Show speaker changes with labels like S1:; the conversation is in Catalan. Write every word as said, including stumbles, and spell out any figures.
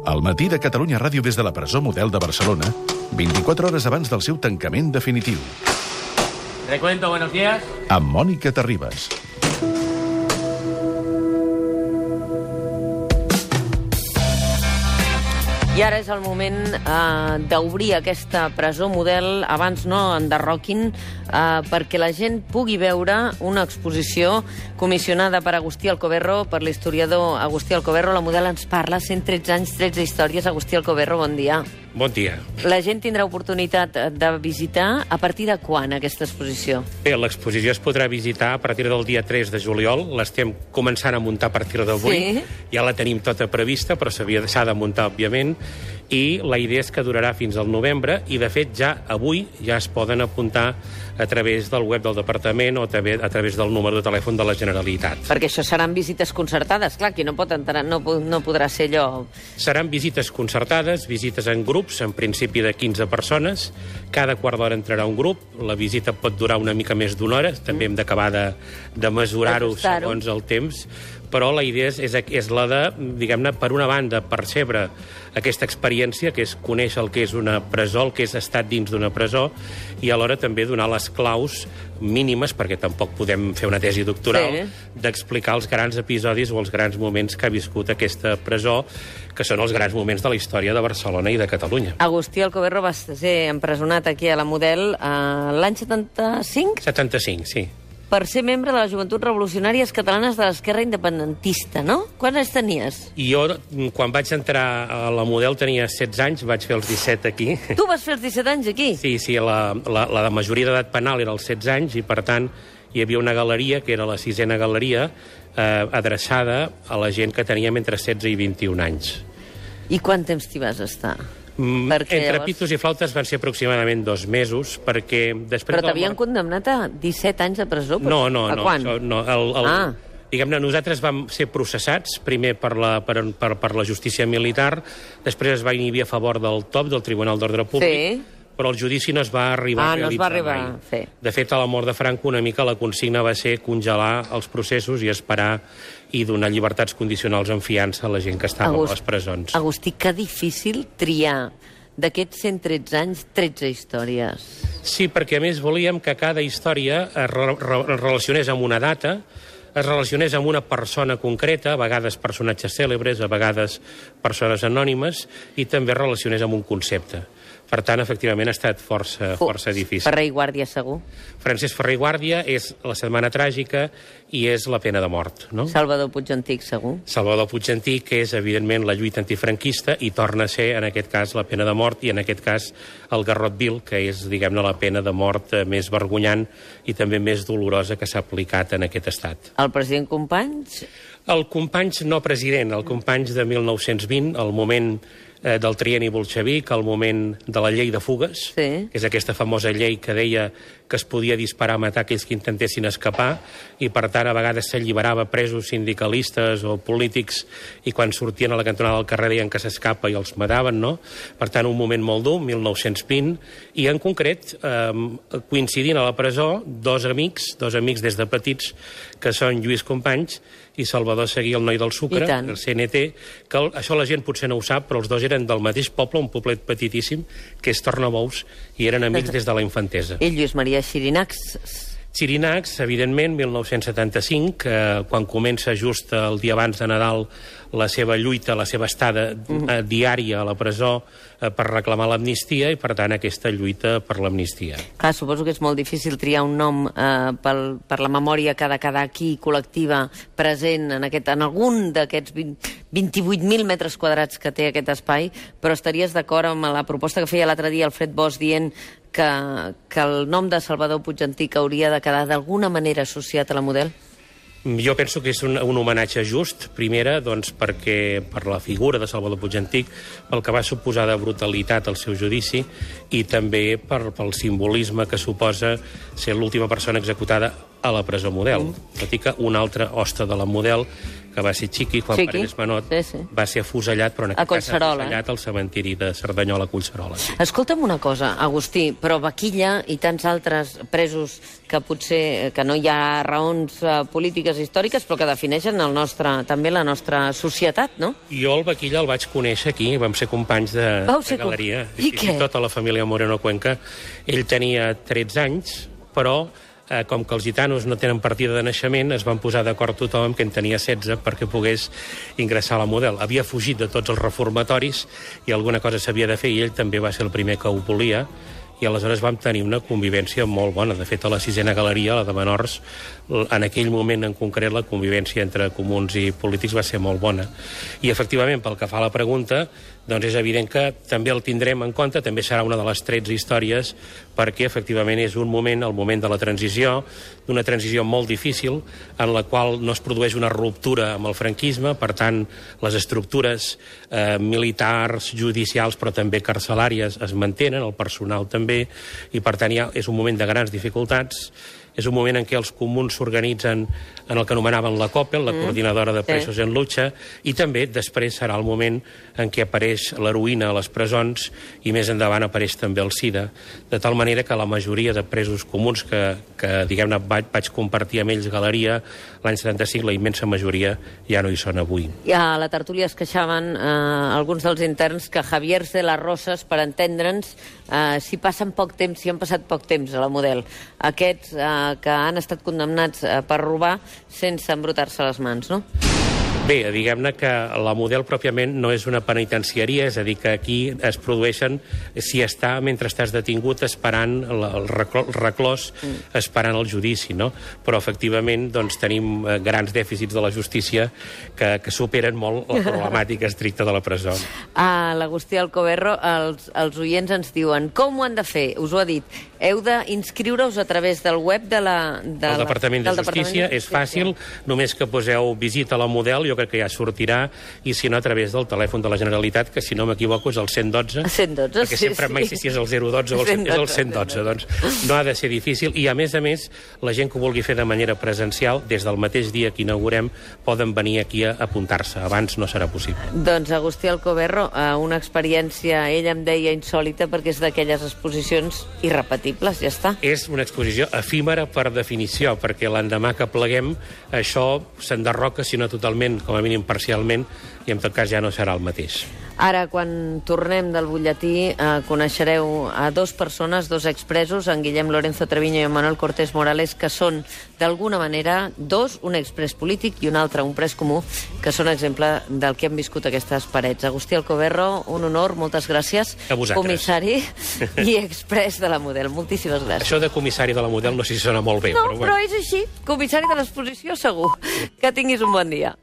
S1: Al matí de Catalunya Ràdio des de la presó Model de Barcelona, vint-i-quatre hores abans del seu tancament definitiu.
S2: Recuento, buenos días.
S1: Amb Mònica Terribas.
S3: I ara és el moment eh, d'obrir aquesta presó model, abans no enderroquin, eh, perquè la gent pugui veure una exposició comissionada per Agustí Alcoberro, per l'historiador Agustí Alcoberro. La model ens parla, cent tretze anys, tretze històries. Agustí Alcoberro, bon dia.
S4: Bon dia.
S3: La gent tindrà oportunitat de visitar a partir de quan, aquesta exposició?
S4: Bé, l'exposició es podrà visitar a partir del dia tres de juliol. L'estem començant a muntar a partir d'avui.
S3: Sí.
S4: Ja la tenim tota prevista, però s'ha de muntar, òbviament. I la idea és que durarà fins al novembre i, de fet, ja avui ja es poden apuntar a través del web del Departament o també a través del número de telèfon de la Generalitat.
S3: Perquè això seran visites concertades, clar, qui no pot entrar, no, no podrà ser allò...
S4: Seran visites concertades, visites en grups, en principi de quinze persones. Cada quart d'hora entrarà un grup. La visita pot durar una mica més d'una hora. També hem d'acabar de, de mesurar-ho segons el temps. Però la idea és, és, és la de, diguem-ne, per una banda, percebre aquesta experiència, que és conèixer el que és una presó, el que és estar dins d'una presó, i alhora també donar les claus mínimes, perquè tampoc podem fer una tesi doctoral, sí, d'explicar els grans episodis o els grans moments que ha viscut aquesta presó, que són els grans moments de la història de Barcelona i de Catalunya.
S3: Agustí Alcoberro va ser empresonat aquí a la Model eh, l'any setanta-cinc?
S4: setanta-cinc, sí.
S3: Per ser membre de les Joventuts Revolucionàries Catalanes de l'Esquerra Independentista, no? Quants anys tenies?
S4: I jo, quan vaig entrar a la Model, tenia setze anys, vaig fer els disset aquí.
S3: Tu vas fer els disset anys aquí?
S4: Sí, sí, la, la, la majoria d'edat penal era als setze anys i, per tant, hi havia una galeria, que era la sisena galeria, eh, adreçada a la gent que teníem entre setze i vint-i-un anys.
S3: I quant temps t'hi vas estar?
S4: Mm, entre llavors... pitos i flautes van ser aproximadament dos mesos, perquè després...
S3: Però t'havien mort... condemnat a disset anys de presó?
S4: No, no,
S3: a
S4: no.
S3: Quan?
S4: Això, no el, el,
S3: ah.
S4: Diguem-ne, nosaltres vam ser processats, primer per la, per, per, per la justícia militar, després es va inhibir a favor del T O P, del Tribunal d'Ordre Públic, sí, però el judici no es va arribar
S3: ah,
S4: a realitzar
S3: no es va arribar
S4: mai.
S3: A fer.
S4: De fet, a la mort de Franco, una mica la consigna va ser congelar els processos i esperar i donar llibertats condicionals en fiança a la gent que estava Agust... a les presons.
S3: Agustí, que difícil triar d'aquests cent tretze anys, tretze històries.
S4: Sí, perquè a més volíem que cada història es re re relacionés amb una data, es relacionés amb una persona concreta, a vegades personatges cèlebres, a vegades persones anònimes, i també relacionés amb un concepte. Per tant, efectivament, ha estat força, força difícil.
S3: Ferrer i Guàrdia, segur.
S4: Francesc Ferrer i Guàrdia és La setmana tràgica i és la pena de mort, no?
S3: Salvador Puig Antic, segur.
S4: Salvador Puig Antic, que és, evidentment, la lluita antifranquista i torna a ser, en aquest cas, la pena de mort i, en aquest cas, el garrot vil, que és, diguem-ne, la pena de mort més vergonyant i també més dolorosa que s'ha aplicat en aquest estat.
S3: El president Companys?
S4: El Companys no president, el Companys de mil nou-cents vint, el moment eh, del trienni bolxevic, el moment de la llei de fugues,
S3: sí,
S4: que és aquesta famosa llei que deia que es podia disparar a matar aquells que intentessin escapar i, per tant, a vegades s'alliberava presos sindicalistes o polítics i quan sortien a la cantonada del carrer deien que s'escapa i els mataven, no? Per tant, un moment molt dur, mil nou-cents vint, i en concret, eh, coincidint a la presó, dos amics, dos amics des de petits, que són Lluís Companys i Salvador Seguí, el noi del sucre, el C N T, que el, això la gent potser no ho sap, però els dos eren del mateix poble, un poblet petitíssim, que és Tornabous, i eren amics des de la infantesa.
S3: I Lluís Maria Xirinacs?
S4: Xirinacs, evidentment, mil nou-cents setanta-cinc, eh, quan comença just el dia abans de Nadal la seva lluita, la seva estada eh, diària a la presó eh, per reclamar l'amnistia i, per tant, aquesta lluita per l'amnistia.
S3: Clar, suposo que és molt difícil triar un nom eh, pel, per la memòria que ha de quedar aquí, col·lectiva, present en, aquest, en algun d'aquests vint-i-vuit mil metres quadrats que té aquest espai, però estaries d'acord amb la proposta que feia l'altre dia Alfred Bosch dient que, que el nom de Salvador Puig Antic hauria de quedar d'alguna manera associat a la Model?
S4: Jo penso que és un, un homenatge just, primera, doncs, perquè per la figura de Salvador Puig Antic, pel que va suposar de brutalitat al seu judici i també per, pel simbolisme que suposa ser l'última persona executada a la presó Model. Tot i que una altra hoste de la Model, que va ser Chiqui, quan
S3: Chiqui.
S4: Paredes Manot
S3: Sí, sí.
S4: va ser afusellat, però en
S3: A
S4: aquest cas
S3: Collserola.
S4: afusellat al cementiri de Cerdanyola, Collserola. Sí.
S3: Escolta'm una cosa, Agustí, però Baquilla i tants altres presos que potser que no hi ha raons eh, polítiques històriques, però que defineixen el nostre, també la nostra societat, no?
S4: Jo el Baquilla el vaig conèixer aquí, vam ser companys de,
S3: Vau
S4: de
S3: ser com-
S4: galeria.
S3: I què?
S4: Tota la família Moreno Cuenca. Ell tenia tretze anys, però eh, com que els gitanos no tenen partida de naixement, es van posar d'acord tothom que en tenia setze perquè pogués ingressar a la Model. Havia fugit de tots els reformatoris i alguna cosa s'havia de fer, i ell també va ser el primer que ho volia, i aleshores vam tenir una convivència molt bona. De fet, a la sisena galeria, la de menors, en aquell moment en concret la convivència entre comuns i polítics va ser molt bona. I efectivament, pel que fa a la pregunta, doncs és evident que també el tindrem en compte, també serà una de les tretze històries, perquè efectivament és un moment, el moment de la transició, d'una transició molt difícil, en la qual no es produeix una ruptura amb el franquisme, per tant, les estructures eh, militars, judicials, però també carcelàries es mantenen, el personal també, i per tant ja és un moment de grans dificultats. És un moment en què els comuns s'organitzen en el que anomenaven la COPEL, la mm. Coordinadora de Presos sí. en Lucha, i també després serà el moment en què apareix l'heroïna a les presons i més endavant apareix també el SIDA, de tal manera que la majoria de presos comuns que, que diguem-ne, vaig, vaig compartir amb ells galeria l'any setanta-cinc, la immensa majoria ja no hi són avui.
S3: I a la tertúlia es queixaven eh, alguns dels interns que Javier de las Rosas, per entendre'ns, eh, si passen poc temps, si han passat poc temps a la Model, aquests eh, que han estat condemnats eh, per robar sense embrutar-se les mans, no?
S4: Bé, diguem-ne que la Model pròpiament no és una penitenciaria, és a dir, que aquí es produeixen, si està mentre estàs detingut esperant el reclòs, mm. esperant el judici, no? Però efectivament doncs, tenim grans dèficits de la justícia que, que superen molt la problemàtica estricta de la presó.
S3: A l'Agustí Alcoberro, els, els oients ens diuen com ho han de fer, us ho ha dit, heu d'inscriure-us a través del web de la, de
S4: el Departament de
S3: del
S4: Justícia,
S3: Departament de
S4: és fàcil, només que poseu visita a la Model, jo crec que ja sortirà, i si no, a través del telèfon de la Generalitat, que si no m'equivoco és el cent dotze,
S3: cent dotze,
S4: perquè
S3: sí,
S4: sempre
S3: sí.
S4: mai sé si és el zero dotze o el cent dotze, és el cent dotze, doncs no ha de ser difícil, i a més a més, la gent que ho vulgui fer de manera presencial, des del mateix dia que inaugurem, poden venir aquí a apuntar-se, abans no serà possible.
S3: Doncs Agustí Alcoberro, una experiència, ell em deia insòlita, perquè és d'aquelles exposicions irrepetibles, ja està.
S4: És una exposició efímera per definició, perquè l'endemà que pleguem això s'enderroca, si no totalment, com a mínim parcialment, i en tot cas ja no serà el mateix.
S3: Ara, quan tornem del butlletí, eh, coneixereu a dos persones, dos expresos, en Guillem Lorenzo Treviño i en Manuel Cortés Morales, que són, d'alguna manera, dos, un expres polític i un altre, un pres comú, que són exemple del que han viscut aquestes parets. Agustí Alcoberro, un honor, moltes gràcies.
S4: A vosaltres.
S3: Comissari i expres de la Model. Moltíssimes gràcies.
S4: Això de comissari de la Model no sé si sona molt bé,
S3: No,
S4: però bueno.
S3: però és així. Comissari de l'exposició, segur. Que tinguis un bon dia.